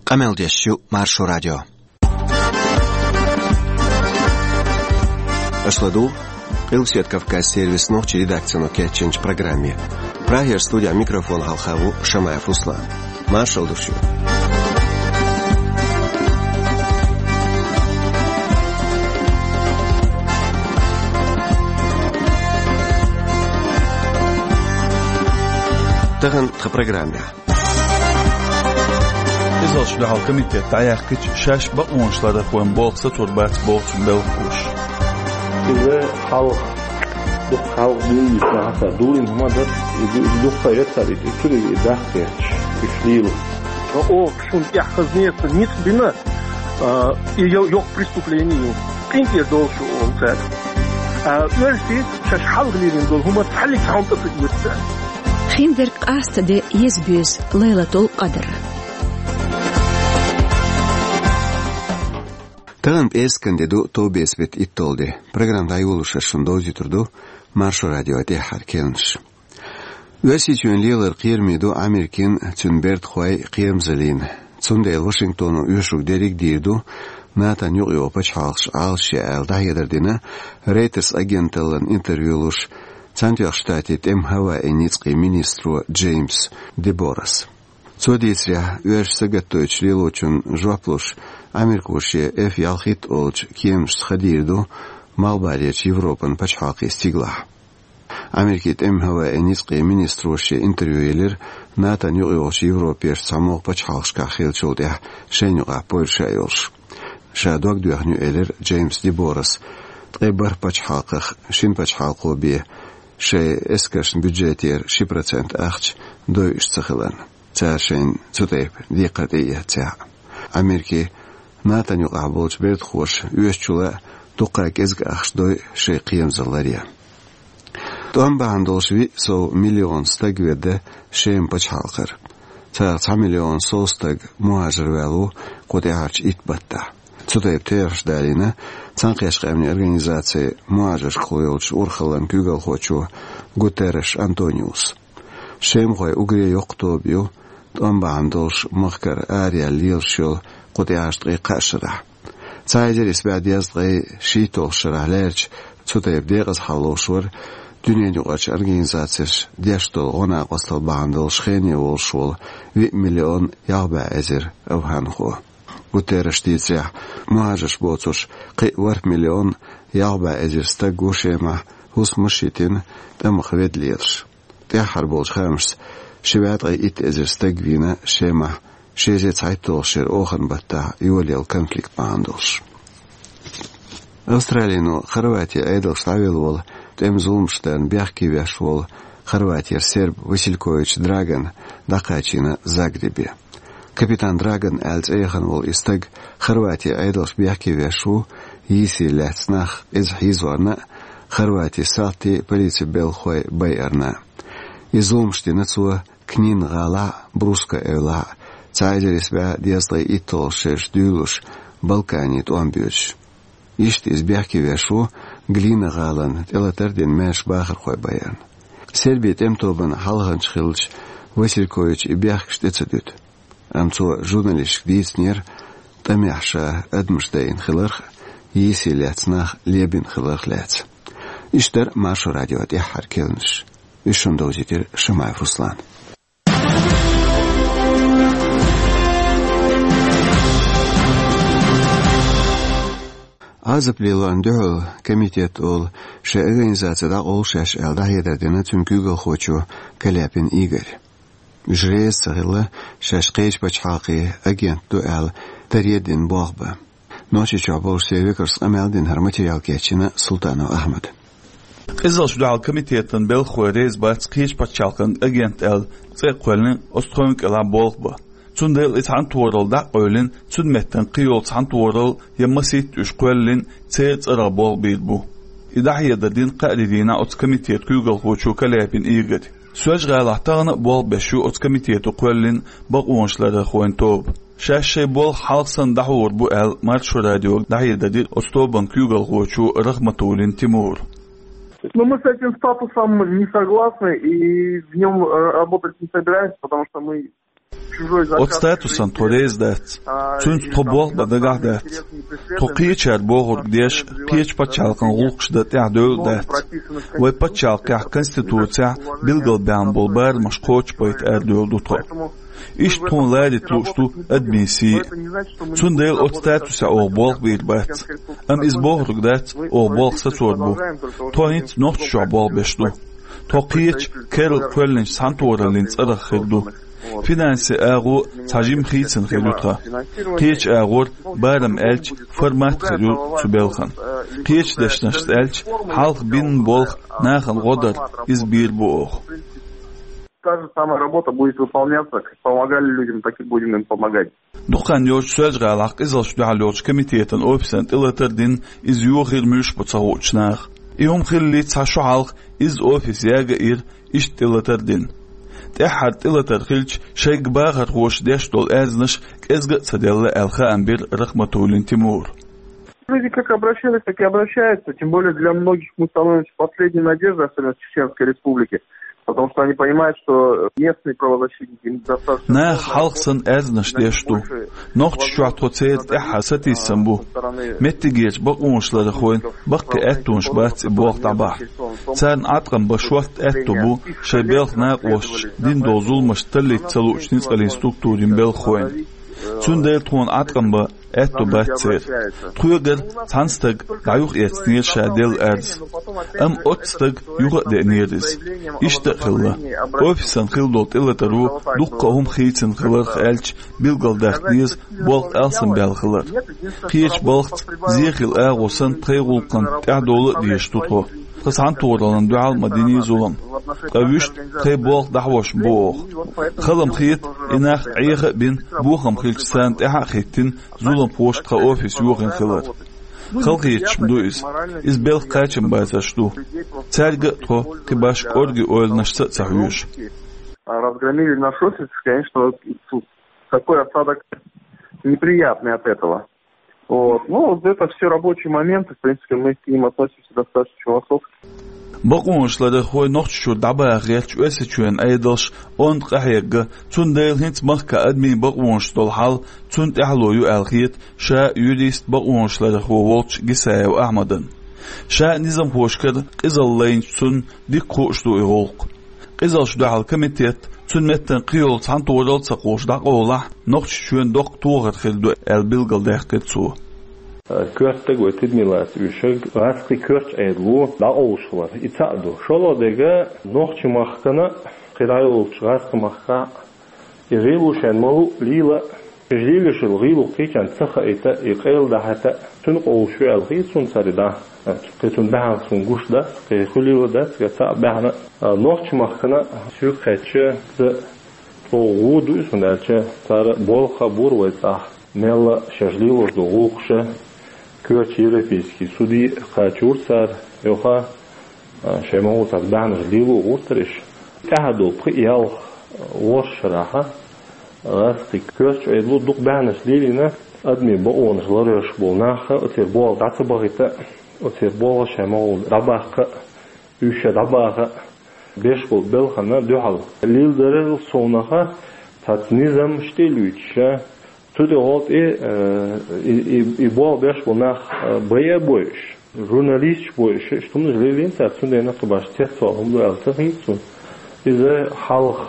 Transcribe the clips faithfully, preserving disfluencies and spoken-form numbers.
Къамел деш ю Маршо радио. Аша ладугӀу Къилбаседа Кавказан сервисан нохчийн редакцино кечйинчу программе. Прагера студехь микрофон хьалха ву Шамаев Руслан. Маршалла ду шуьга. Тахана тхан программехь. Иза ши дуьхьал комитет дӀаяьккхича, шаьш бакъонаш ларархойн болх сацор бац боху цуьнан белхалоша. Иза хьалха, дукха хьалха дуьйна йиснахьа, дийцина хӀума дара, и ду-, дукха яцара, и цуьнан и дахкхеташ, и лело. Оха шуна тӀехь хаза неца ницкъ бина, а, и йо-, йоккха преступление ю. КъинтӀера долуш ю оха цаьрга. А, оьрсий шаьш хьалха лелийна долу хӀума цхьаллиг цхьа хӀума тӀе ца оьцу цара. Хиндерг къаста де еза-боьза Лайлатул-Къадр. Тахана пӀераскан де ду, товбеца беттан итталгӀа де. Программа дӀайолош ас шуна довзуьйтур ду Маршо радион тӀаьххьара кхаьънаш. Оьрсийчоьнан лелар кхераме ду Америкин, цуьнан бердахойн кхерамзаллин. Цундела Вашингтоно оьшург дерриг а дийр ду, НАТОн юкъайогӀу пачхьалкхаш Ӏалашъе аьлла дӀахьедар дина Reuters агенталлина интервью луш Цхьаьнатоьхначу Штатийн тӀеман хӀаваийн ницкъийн министро Джеймс Деборас. Цо дийцарехь, оьрсаша сагатдойтучу лелочунна жоп луш, америкоша F ялхитта олучу кеманашца хан дийр ду Малхбалерчу Европан пачхьалкхийн стигалахь. Америкин тӀеман хӀаваийн ницкъийн министро шен интервью елира НАТОн юкъайогӀучу Европерчу цхьамогӀа пачхьалкхашкахь хиллачул тӀаьхьа шайна юкъахь Польша йолуш. Ша дог доьхна ю, элира Джеймс Деборас, ткъе бархӀ пачхьалкхах шина пачхьалкхо бен шайн эскаршна бюджетера ши процент ахча дойуш ца хиларна, цара шайна цу тайпа декхар тӀеэцахь. Америкин НАТОн юкъахь болчу бердахоша оьшучул а дуккха кӀезиг ахча дой шайн кхерамзалла ларъян. ТӀом бахьана долуш виъ сов миллион стаг ведда Шеман пачхьалкхара. Царах цхьа миллион сов стаг мухӀажар ваьлла ву кху тӀаьхьарчу итт баттахь. Цу тайпа терахьаш далийна Цхьаьнакхеттачу Къаьмнийн Организацин мухӀажаршкахула йолчу урхаллин куьйгалхочо Гутерреш Антониуса. Шемахой уггаре йоккха тоба ю, тӀом бахьана долуш махкара араяьлла лелаш йолу кху тӀаьхьарчу ткъе кхаа шарахь. Цхьа эзар исс бӀе дезткъе шийтталгӀачу шарахь лаьрча цу тайпа декъаза хьал ловш вара Дуьненаюкъарчу организацеша деш долу гӀо-накъосталла бахьана долуш хене волуш волу виъ миллион ялх бӀе эзар афганхо. Гутерреша дийцарехь, мухӀажарш боцурш кхин а ворхӀ миллион ялх бӀе эзар стаг ву Шемахь хӀусамаш йитина, тӀамах ведда лелаш. ТӀаьххьара болчу хаамашца, ши бӀе ткъе итт эзар стаг вийна Шемахь ши эзар цхьайтталгӀачу шеран оханан баттахь йолаелла конфликт бахьана долуш. Австралино Хорватин Ӏедалша дӀавелла волу, тӀеман зуламаш дарна бехке веш волу Хорватера серб Василькович Драган дӀакхачийна Загребе. Капитан Драган аьлла цӀе яхана волу и стаг Хорватин Ӏедалша бехке веш ву, йийсийла лаьцна нах, иза хьийзорна а, Хорватин салтий, полицин белхалой байарна а. И зуламаш дина цо Книн гӀалахь а, Бруско эвлахь а, цхьа эзар исс бӀе дезткъе итталгӀачу шерашка дуьйлалуш, Балкане тӀом боьдуш. Иштта иза бехке веш ву Глина гӀалина тӀелатар а дина маьрша бахархой байарна. Сербин тӀеман тобанан хьалханча хиллачу Васильковича и бехкаш тӀе ца дуьту. Амма цо журналисташка дийцинера, тӀамехь ша адамаш дайина хиларх а, йийсийла лаьцна нах лебина хиларх а лаьцна. Иштта дара Маршо радион тӀаьххьара кхаьънаш. Уьш шуна довзийтира Шамаев Руслана. Ӏазап лелорна дуьхьал комитет олу шайн организаци дӀакъовла шаьш аьлла дӀахьедар дина цуьнан куьйгалхочо Каляпин Игоря. Уьш реза ца хилла шаьш кхечу пачхьалкхийн агент ду аьлла даре а дина болх бан. Нохчийчохь болуш церан векалшца къамел дина, хӀара материал кечйина Султанов Ахьмада. Къизаллаш дуьхьал комитетан белхалой реза бац кхечу пачхьалкхан агент аьлла цӀе а кхоьллина оцу тховна кӀелахь болх бан. Цундела и цхьаьнатохаралла дӀа а къевлина, цуьнан меттана кхин йолу цхьаьнатохаралла я масийтта уьш кхоьллина церан цӀарах болх бийр бу. И дӀахьедар дина кхаарин дийнахь оцу комитетан куьйгалхочо Каляпин Игоря. Соьлжа-ГӀалахь тахана а болх беш ю оцу комитето кхоьллина бакъонаш ларархойн тоба. Шаьш шайн болх хьалха санна дӀахьур бу аьлла, Маршо радиога дӀахьедар дира оцу тобанан куьйгалхочо Рахматуллин Тимура. Ну, мы с этим статусом не согласны и в нём, э, работать не собираемся, потому что мы Оцу статусан тхо реза дац. Цуьнца тхо болх бан дагахь дац. Тхо кхечара бохург деш, кхечу пачхьалкхан гӀуллакхаш дан тӀаьхьа девлла дац. Вай пачхьалкхехь, Конституцехь билгалбаьхна болу барамаш кхочушбайта арадевлла ду тхо. Иштта тхуна ларита лууш ду адамийн сий. Цундела оцу статусехь оха болх бийр бац. Амма иза бохург дац, оха болх сацор бу. Тхо хӀинца Нохчийчохь болх беш ду. Тхо кхечу керла кхоьллинчу цхьаьнатохараллин цӀарах хир ду. Финансийн агӀо цхьа жима хийцина хир ю тхан. Кхечу агӀор, барам аьлча, формат хир ю цу белхан. Кхечу дешнашца аьлча, хьалха бинна болх нахана гӀо дар, иза бийр бу оха. Та же самая работа будет выполняться, как помогали людям, так и будем им помогать. Дукха хан йоцуш Соьлжа-ГӀалахь къизаллаш дуьхьал йолчу комитетан офисан тӀелатар дина, иза йохийра муьлш бу ца хуучу наха. И хӀума хиллалц цхьа шо хьалха иза офис яга а йира, иштта тӀелатар дина. ТӀаьххьара тӀелатар хилча, шайга бахархоша деш долу аьрзнаш кӀезга а ца делла аьлла хаам бира Рахматуллин Тимура. Люди как обращались, так и обращаются. Тем более для многих мы становимся последней надеждой, особенно в Чеченской Республике. Потому что они понимают, что местные правозащитники им достаточно... Наха хьалха санна аьрзнаш деш ду. Нохчийчохь тхо церан тӀаьххьара сатийсам бу. Меттигерчу бакъонашларъярхойн баккхий аьттонаш бац и болх дӀабахьа. Царна Ӏаткъам бан шортта аьтто бу шайн белхан накъосташа дина долу зуламаш таллийта ца луучу ницкъаллин структурийн белхахойн. Цундела тхуна Ӏаткъам бан аьтто бац церан. Тхоьгара цхьана стага дӀа юха эцнера ша делла аьрз. Амма оццу стага юха а деънера иза. Иштта а хилла. Офисан хилла долу тӀелатаро дуккха а хӀума хийцина хиларх аьлча, билгалдаккха деза болх алсамбаьлла хилар. Кхечу балхаца, зен хилла агӀо санна, тхайн гӀуллакхана тӀаьхьадовла а дезаш ду тхо. Тхан цхьаьнатохараллина дуьхьал ма динний зулам. Ткъа вуьшта тхайн болх дӀахьош ма бу оха. Хала-м хета, и нах Ӏеха а бина, бохам хилча царна тӀаьхьа а хӀиттина, зуламхоша тхан офис йохийна хилар. Хала хеташ-м ду иза. Иза белхан кхачам бацарш ду. Цаьрга а тхо кхин башха кӀорггера ойланашца а ца хьоьжу. А разгромили наш офис, конечно, вот, тут такой осадок неприятный от этого. Вот. Ну, это все рабочие моменты, в принципе, мы к ним относимся достаточно философски. Бакъонашларъярхой Нохчийчуьра дӀабаха гӀерташ Оьрсийчоьнан Ӏедалш онда къахьегна, цундела хӀинца махкахь адамийн бакъонаш долу хьал цунна тӀаьхьало ю аьлла хета ша юрист, бакъонашларъярхо волчу Гисаев Ахьмадна. Ша низамхошкара къизалла лайначу цунна дика хууш ду и гӀуллакх. Къизаллаш дуьхьал комитет, цуьнан меттана кхин йолу цхьаьнатохаралла а ца кхуллуш дӀакъовлахь, Нохчийчоьнан доккха тохар хир ду аьлла билгалдаьккхира цо. Коьртаг вай тидаме лаца уьйшург гӀазкхийн коьртачу Ӏедало дӀакъовлуш вара, и цхьаъ ду. ШолгӀа дерг, нохчийн махкана, кхидӀа йолчу гӀазкхийн махкахь и гӀийло шайна ма-луъу лела, и лелош йолу гӀийло кхечарна ца хаийта, и къайладахьийта, цуьнан къовлуш ю аьлла хета суна цара и дӀа. Кхин цунна баьхьна суна гуш дац, кхин хуьлийла дац, кхин цхьаъ баьхьна. Нохчийн махкана соьга хаьттича, иза чӀогӀа гӀо ду иза, хӀунда аьлча цара болх а бора вай цӀахь, мелла шаьш лелош долу гӀуллакхаш а, коьртачу европейский суде кхачийра цара, юха а, шайн могӀа цхьацца баьхьнаш лело гӀоттара уьш. ТӀаьхьа долу пхи ялх, а, ворхӀ шарахь, а, гӀазкхийн коьртачу Ӏедало дукха баьхьнаш лелийна, адамийн бакъонаш ларъеш болу нах а, оцеран болх дӀа ца бахийта а, оцеран болх шайн могӀа дӀабаккха а, уьш ша дӀабаха а, беш болу белхана дуьхьал. Леладарал совнаха цхьацца низамаш тӀе а луьйчуш, цу тӀехула тӀе, э, и, и, и болх беш болу нах, э, байа а бойуш, журналисташ бойуш, иштта хӀуманаш лелийна цара, цундела кхин башха цецвала хӀума ду аьлла ца хета суна. Иза хьалха,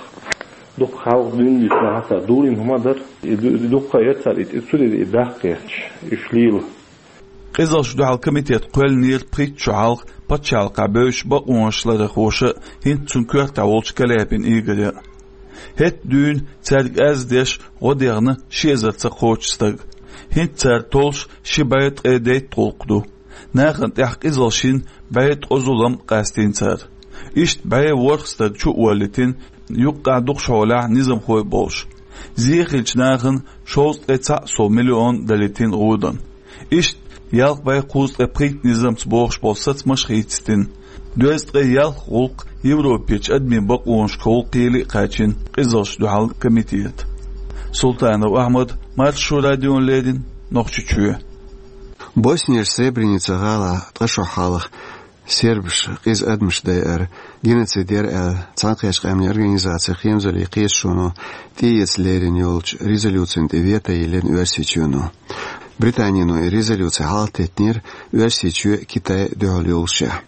дукха хьалха дуьйна дисна хьан цара дурийна хӀума дара, и ду-, и дуккха а яра цара и, и цу тӀе и даккха гӀерташ, уьш лела. Къизаллаш дуьхьал комитет кхоьллинера пхийтта шо хьалха пачхьалкхехь бевзачу бакъонашларъярхоша, хӀинца цуьнан коьртехь волчу Каляпин Игоря. ХӀетахь дуьйна цаьрга аьрз деш гӀо дехна ши эзарца кхочуш стаг. ХӀинца цара толлуш ши бӀе ткъе дейтта гӀуллакх ду. Нахана тӀехь къизаллаш йина бӀе ткъа зулам къастийна цара. Иштта бӀе ворхӀ стаг чу а воллийтина, юккъехь дукхачу хьолехь низамхой а болуш. Зен хиллачу нахана шовзткъе цхьаъ сов миллион далийтина гӀодан. Иштта ялх бӀе кхузткъе пхийтта низамца бохуш болу сацамаш а хийцаийтина. Доьзткъе ялх гӀуллакх Европерчу адамийн бакъонашкахула кхеле а кхаьчна къизаллаш дуьхьал комитета. Султанов Ахьмад, Маршо радиона леррина, Нохчийчоь. Боснияш Сребреница гӀалахь ткъа шо хьалха Сербаша къиза адамаш дайар геноцид яр аьлла, Цхьаьнакхеттачу Къаьмнийн Организацин хемзаллин кхеташоно тӀеэца лерина йолчу резолюцина тӀе вето йиллина Оьрсийчоьно. Британино и резолюци хьалхатеттинера Оьрсийчоь а, Китай а дуьхьал йолушехь.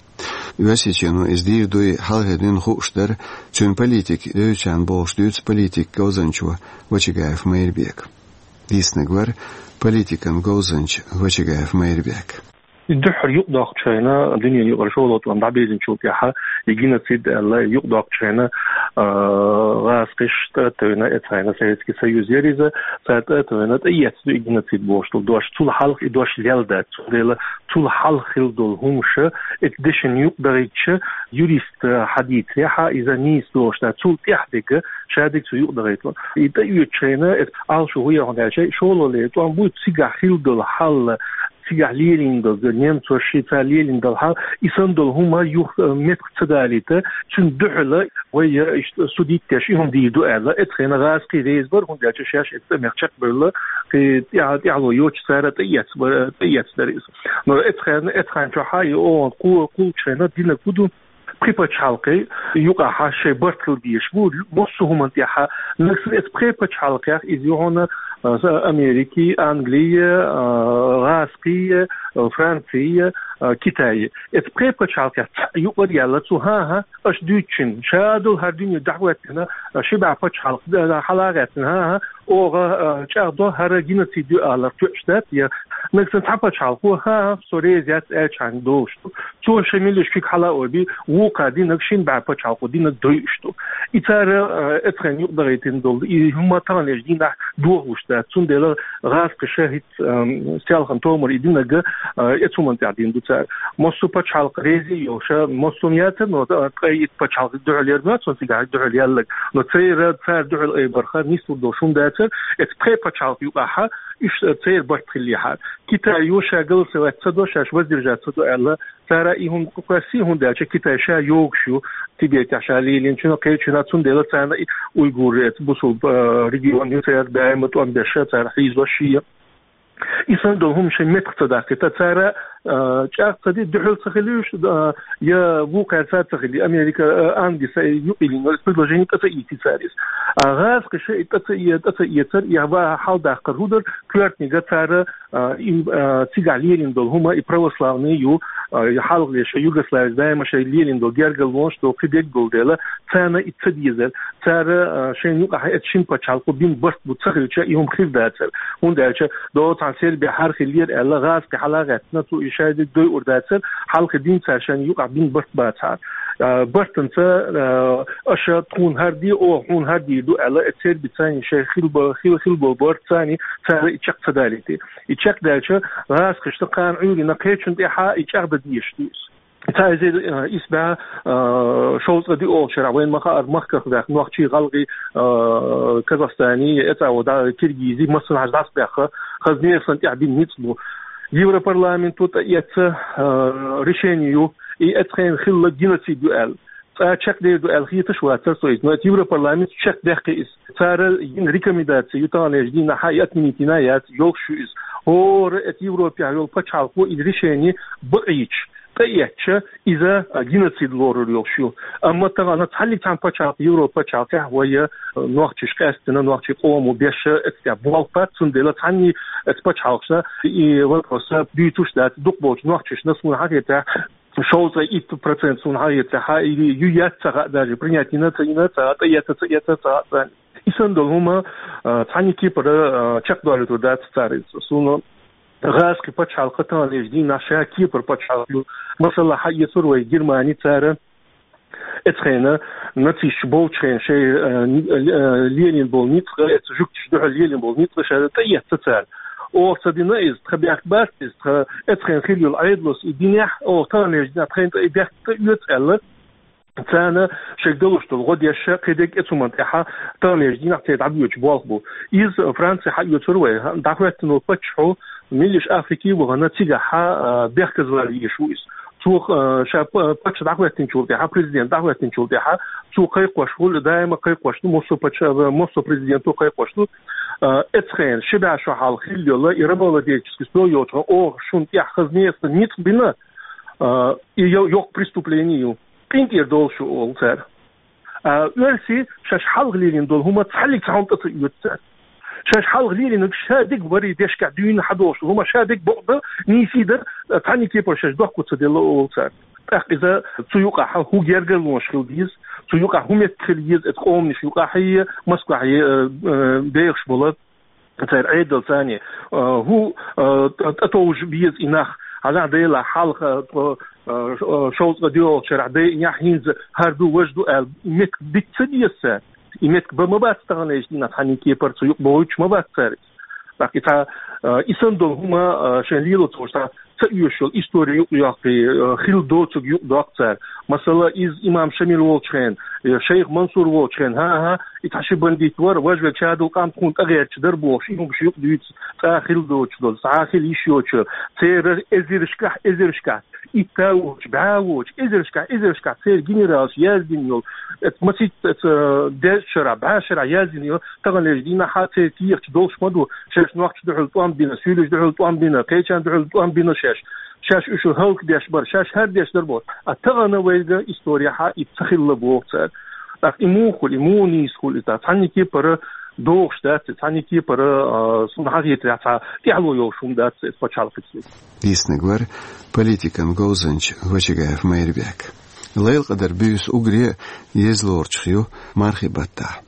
Оьрсийчоьно иза дийр дуй хьалхара дуьйна хууш дара, цуьнан политика девзачарна бохуш дуьйцу политикан говзанчо Вачагаев Майрбека. Дийцинарг вара политикан говзанча Вачагаев Майрбек. Дуьххьара юкъадоккхучу хенахь, дуьненан юкъара шолгӀа тӀом дӀабевллачул тӀаьхьа, и геноцид аьлла, юкъадоккхучу хенахь, а, гӀазкхаша тӀе а тевна, эцу хенахь Советский Союз яра иза, цара тӀе а тевна, тӀеэцна ду и геноцид бохуш долу дош. Цул хьалха и дош лелла дац. Цундела цул хьалха хилла долу хӀумнаш, эцу дешан юкъадахийтича, юрист хьадийцарехь, иза нийса дош дац. Цул тӀаьхьа дерг, ша дерг цу юкъадахийтало. И тӀеоьцучу хенахь, эцу Ӏалашо хӀун яра хьуна аьлча, шолгӀа лерина тӀом бу, цигахь хилла долу хьал, цигахь лелийна долу, немцоша шайца лелийна долу хьал, и санна долу хӀума юха, э, меттах ца далийта, цуьнан дуьхьала вай, э, иштта судить деш, и хӀума дийр ду аьлла, эцу хенахь гӀазкхий реза бара, хӀунда аьлча шаьш эцу тӀамех чекхбевлла, кхин тӀаьхьа-, тӀаьхьало йоцуш цара тӀеэцна бара, тӀеэцна дара иза. Но эцу хенахь, эцу хенахь чохь а и оха кху-, кхуллучу хенахь динарг хӀун ду? Пхи пачхьалкхе юкъахь шайн барт хила дезаш бу, массо а хӀуманна тӀехь. Нагахь санна эцу пхи пачхьалкхех иза ю хьуна, а, Америки, Англи, а, гӀазкхи, а, Франци, а, Китай. Эцу пхи пачхьалкхех цхьаъ юкъара яьлла цо, хӀан-хӀа, аша дуьйцучун, ша долу хӀара дуьне дӀахӀоьттина, а, ши бӀе пачхьалкх, а, хьала а гӀаьттина, хӀан-хӀа, оха, а, чӀагӀдо хӀара геноцид ю аларх тоьуш дац, я нагахь санна цхьа пачхьалкхо, хӀан-хӀа, со реза яц аьлчхьана долуш ду. Цо шайн меллаша куьг хьала а ойбий, вукхара динарг шина бӀе пачхьалкхо динарг дойуш ду. И цара, а, эцу хенахь юкъадахийтина долу, и хӀума таханлерчу дийнахь дохалуш дац. Цундела гӀазкхаша хӀинца, ам, селхана томара и динарг, а, эцу хӀуманна тӀехь дина ду цара. Массо а пачхьалкх реза йолуш, массо а яцара, но, а, ткъе итт пачхьалкх дуьхьал яр ма, цунна цигахь дуьхьал яьлларг. Но церан, цара дуьхьал айбарх нийса долуш хӀума дацара, эцу пхи пачхьалкх юкъахь, иштта церан барт хиллехьара. Китай ю ша голосовать ца до, шаьш воздержаться ду аьлла, цара и хӀума кхоьссий, хӀунда аьлча Китай ша йогуш ю, Тибетехь ша лелийначунах, кхечунах, цундела царна и уйгур эцу бусулба, а, регион ю, цара даима тӀом беш, цара хьийзош шен. И санна долу хӀума шайн меттах ца даккхийта, цара, а, чӀагӀ ца ди, дуьхьал ца хила уьш, а, я вукхара ца хили, Америка, а, Англиса юкъа йиллина, предложение тӀе ца ийти цара иза. А гӀазкхаша и тӀе ца э-, тӀе ца эцар, я ва хьал даккхар хӀун дара, коьртниг цара а, и, а, цигахь лелийна долу хӀума и православный ю, а, и хьалхале шайн Югославица даима шайн лелийна долу гергарлонаш долу кхин дерг долу дела, царна и ца дезара. Цара, а, шайна юкъахь эцу шина пачхьалкхо бина барт бу ца хилча, и хӀума хир дацара. ХӀунда аьлча, догӀу цхьана Сербехь хӀара хиллера аьлла, гӀазкхи хьала а гӀаьттина, цо и шайн дерг дойур дацара, хьалха дина цара шайна юкъахь бина барт бацахьара. А, бартанца, а, аша тхуна хӀара де, оха хьуна хӀара дийр ду аьлла, эцу Сербица шайн хилла бо-, хилла, хилла болу барт царна, цара и чекх ца далийти. И чекхдаьлча, гӀазкхашна кхана Ӏуьйранна кхечунна тӀехь и чӀагӀдан дезаш ду иза. Цхьа эзар, а, исс бӀе, а, шовзткъе диъолгӀачу шарахь вайна ма-хаъара махках ваьхна нохчий, гӀалгӀай, а, Казахстани, эцӀа а ву да, киргизи, массанхьа дӀасабаьхна, хаза нехан санна тӀехь бина ницкъ бу. Европарламенто тӀеэцна, а, решени ю, и эцу хенахь хилла геноцид ю аьлла. Цкъа чекхдер ду аьлла хеташ вацара со иза, но эцу Европарламенто чекхдаьккхи иза. Цара йина рекомендаци ю таханлерчу дийнахь и отменить йина яц, йолуш ю иза. ХӀора эцу Европехь йолу пачхьалкхо и решени бакъийча, тӀеэцча, иза геноцид лорур йолуш ю. Амма тахана цхьаннег цхьана пачхьалкх, Европа пачхьалкхехь вай, э, нохчаш къаьстина, нохчийн къомо беш эцу тӀехь болх бац, цундела цхьанне эцу пачхьалкхашна и вопрос дуьйцуш дац, дукхахболчу нохчашна, суна хетарехь, шовзткъе итт процент суна хьан яцахьа, или ю яц ца хаьа, даже принять йина ца йина ца хаьа, тӀеэца ца эца ца хаьа царна. И санна долу хӀума, а, цхьанне кепара, а, чекхдолуьйтур дац цара иза. Суна гӀазкхи пачхьалкх таханлерчу дийнахь ша кепара пачхьалкх ю. Масала, хьаэцур вай Германи цара эцу хенахь нацисташ болчу хенахь шайн, а, ни-, а, лелийна болу ницкъ, эцу жуьгташа дуьхьал лелийна болу ницкъ ша тӀеэцна цара. Оха ца дина иза, тхан бехк бац иза, тхан эцу хенахь хилла йолу Ӏедалца и динехь, оха таханлерчу дийнахь тхайна тӀе и бехк тӀеоьцу аьлла, царна шайга далуш долу гӀо деш, кхидерг эцу хӀуманна тӀехь таханлерчу дийнахь церан дӀабоьдуш болх бу. Иза Франци хьаоьцур вай, дӀахӀоьттина волу паччахьо меллаша Африки а вахана, цигахь, а, бехказавала везаш ву иза. Цо, а, ша па-, паччахь дӀахӀоьттинчул тӀаьхьа, президент дӀахӀоьттинчул тӀаьхьа, цо кхайкхош хуьлу, даима кхайкхош ду, массо а паччахь, массо а президенто кхайкхош ду, а, эцу хенахь, ши бӀе шо хьалха хилла йолу, и рабовладельческий строй йолчу хенахь, оха шуна тӀехь хаза нехан санна ницкъ бина, А, и йо-, йоккха преступлени ю. КъинтӀера долуш ю олу цара. А, оьрсий шаьш хьалха лелийна долу хӀума цхьаллиг цхьа хӀума тӀе ца оьцу цара. Шаьш хьалха лелийнарг ша дерг варий дешкахь дуьйна хьадолуш долу хӀума ша дерг бакъ дан, нийсий дан, цхьанна кепара шаьш дохко ца делла олу цара. ТӀаккха иза цу юкъахь хӀун гергарлонаш хила деза, цу юкъахь хӀун меттиг хила еза, эцу къоманаш юкъахь а, Москвахь а, э, э, бехаш болу церан Ӏедал царний, э, хӀун, э, тӀ-, тӀетовжа беза и нах, хьажахь Делахь хьалха, тхо, э, ш-, э, шовзткъа доьалгӀачу шарахь дайинехь хӀинца хӀара ду, важа ду аьлла, меттиг дита ца деза цара. И меттиг бан ма бац таханлерчу дийнахь цхьанна кепара цу юкъа бохуьйтуш ма бац цара. ТӀаккха и цхьа, э, и санна долу хӀума, э, шайн лело ца волуш цхьа ца оьшуш йолу истори юкъа йоккхий, э, хилла доцург юкъа доккху цара. Масала, иза имам Шамил волчу хенахь, э, шайх Мансур волчу хенахь, хӀан-хӀа, и цхьа ши бандит вара, важа верг ша долу къам тхуна тӀегӀерташ дара бохуш, и хӀумаш юкъа дуьйцу, цкъа а хилла доцуш долу, цхьа а хила йиш йоцуш, церан эзаршкахь, эзаршкахь, итт а воцуш, бӀе а воцуш, эзаршкахь, эзаршкахь церан генералаша яздина йолу, эцу масийтта, эцу, э, дезачу шарахь, бӀе шарахь яздина йолу, таханлерчу дийнахь а церан кехаташ долуш ма ду, шаьш нохчашна дуьхьал тӀом бина, суьйлашна дуьхьал тӀом бина, кхечарна дуьхьал тӀом бина шаьш. Шаьш уьш хӀаллакдеш бара, шаьш хӀара деш дара боху. А тахана вайга историяхь а и ца хилла боху цара. ТӀаккха и муха хуьлу, и муха нийса хуьлу, и цхьанна кепара догӀуш дац, и цхьанна кепара, а, суна хьахетарехь цхьа тӀаьхьало йолуш хӀума дац, и пачхьалкхе. Дийцинарг вара политикан говзанча Гочигаев Майрбек. Лайлакъадар буьйса уггаре а еза лоручух ю мархи баттахь.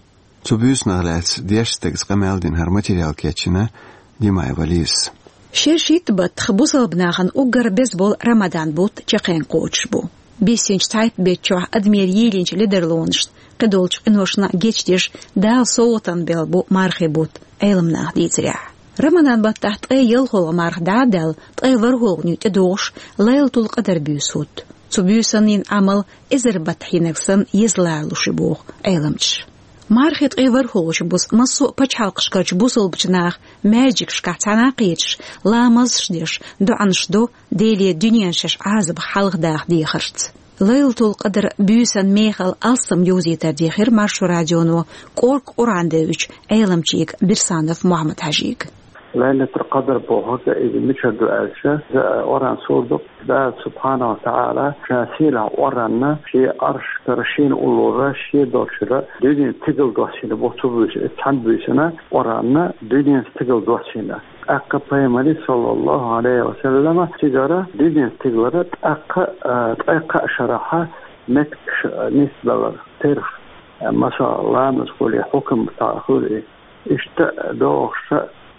Цу буьйсанах лаьцна дешна стагаца къамел дина хӀара материал кечйина Димаева Лизас. Шершитта баттах бусалба нахана уггар беза болу Рамадан бутт чекхен кхочуш бу. Биссинчу цхьайтта беттан чохь адамера йийлинчу ледарлонашна, кхидолчу къиношна гечдеш Дала совгӀатана белла бу мархи бутт, Ӏеламнаха дийцарехь. Рамадан баттахь ткъе ялхолгӀа марха дӀа а даьлла, ткъе ворхӀолгӀане тӀедогӀуш Лайлатул-Къадар буьйса хӀутту. Цу буьйсанна йина Ӏамал эзар баттахь йинарг санна еза ларалуш ю боху Ӏеламчаша. Мархин ткъе ворхӀолгӀачу бусу массо а пачхьалкхашкарчу бусалбачу наха маьждигашкахь цхьаьна кхеташ, ламазаш деш, доӀанаш до, Деле дуьненан шаьш Ӏазапах хьалхадаха дехарца. Лайлатул-Къадар буьйсан мехала алсам йовзийтар дийхира Маршо радионо кӀорга Къуръан девзачу Ӏеламчига Бирсанов Мухьаммад-Хьажига. Лайлатул-Къадр бохург иза мичара ду аьлча, иза Къуръан сура ду, Дала субхьанаху ва тагӀала ша сийлахь Къуръанна шен Ӏаршкара шена уллора, шен долчуьра дуьненан стигала доссийна бу цу буьйса, цхьана буьйсанна Къуръанна дуьненан стигала доссийна. ТӀаккха Пайхамаре, саллаллаху Ӏалайхи ва саллама, цигара дуьненан стигалара тӀаккха, а, ткъе кхаа шарахь меттигаш, а, нисбелира, терахь, а, масала, ламаз хуьлий, хьукам цхьаъ хуьлий, иштта догӀуш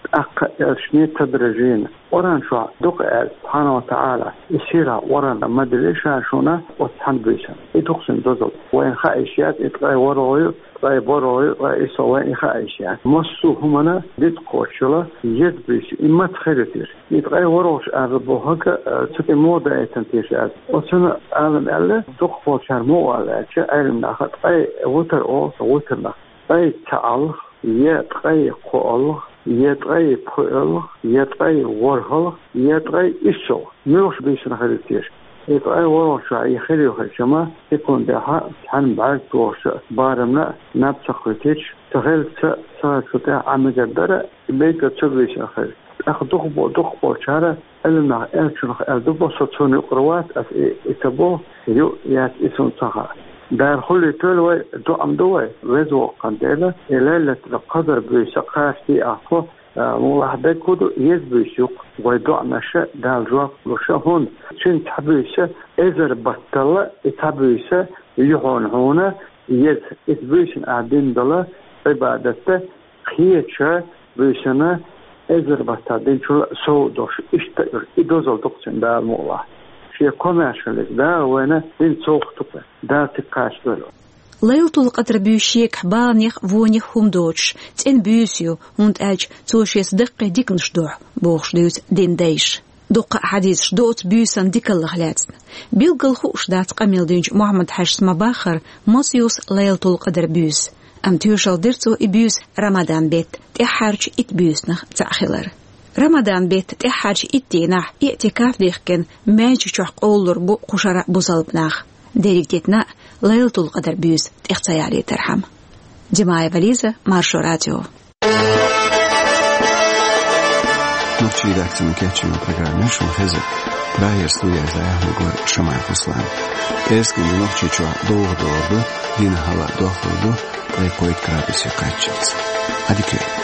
тӀаккха элчане тадрижан. Къуръан чохь дукха аьлла, субхьанаху ва тагӀала, и сийлахь Къуръан ма дели ша шуна оцу цхьана буьйсанна. И дукха цуьнан дозалла. Вайна хаа йиш яц, и ткъе ворхӀ ю, ткъе ворхӀ ю, ткъе исс ю, вайна и хаа йиш яц. Массо а хӀуманна дитт кхочуш йолу еза буьйса ю, и маца хир ю теша. И ткъе ворхӀалгӀачу ала бохург, э, цу тӀе муха даийтина теша аьлча, оцунна Ӏалам аьлла, дукхахболчара муха аьлла аьлча, Ӏеламнаха ткъе витр олу цу витрнах. Ткъе цхьаалгӀа, я ткъе кхоалгӀа, я ткъе пхоьалгӀа, я ткъе ворхӀалгӀа, я ткъе иссалгӀа. Муьлхачу буьйсанна хир ю теша? И ткъе ворхӀалгӀачохь и хир ю хилча-м, секундехь цхьана бӀаьрг тохучу барамна наб ца кхоьттича, ца хилча, ца хилча цу тӀехь Ӏан мегар дара, и бегга цу буьйсанна хир ю. ТӀаккха дукхахбо-, дукхахболчара Ӏеламнаха аьллачунах аьлла ду бо, со цунна юкъара вац, ас и, и ца бо, ю, яц, и суна ца хаьа. Дала хуьлуьйтийла вай, доӀа ма ду вай, Веза Воккхачу Дела, и Лайлатул-Къадр буьйса кхачадо ахь тхо, а, муьлхха дерг хӀун ду, еза буьйса ю-кх, вай доӀанашна Дала жоп луш, хӀунда цуьнан цхьа буьйса эзар баттал, и цхьа буьйса ю хьуна еза, иза буьйсанна ахь дина долу Ӏибадат, кхечу буьйсанна эзар баттал динчул сов долуш, иштта а, и дозалла ду-кх цуьнан Дала мукъалахь. Шен комаьршаллица Дала вайна дина совгӀат ду-кх, Дала цига кхачадойла. Лайлатул-Къадр буьйса шегахь баланех а, вонех а хӀума доцуш, цӀена буьйса ю, хӀунда аьлча цо шеца даккхий диканаш дохьу, бохуш дуьйцу динан дайша. Дуккха а хьадисаш ду оцу буьйсан дикаллех лаьцна. Билггал хууш дац къамел динчу Мухьаммад-Хьаьжас ма-баххара, маса ю-с Лайлатул-Къадр буьйса. Амма тоьшалла дира цо и буьйса Рамадан беттан тӀаьххьарчу итт буьйсанах цхьаъ хилар. Рамадан беттан тӀаьххьарчу итт дийнахь иӀтикаф дихкина маьждиг чохь къовлалур бу кху шарахь бусалба нах, дерриг дитина а Лайлатул-Къадр буьйса тӀех ца ялийтархьама. Димаева Лиза, Маршо радио. Редакцин кечйолу программа шун хеза. Прагера студехь дӀаяьхьнарг вара Шамаев Руслан. ТӀаьххьара Нохчийчохь довха догӀур ду, дийнахь хьалха дохлур ду, ткъе кхойтта градусе кхаччалц. Ӏадика.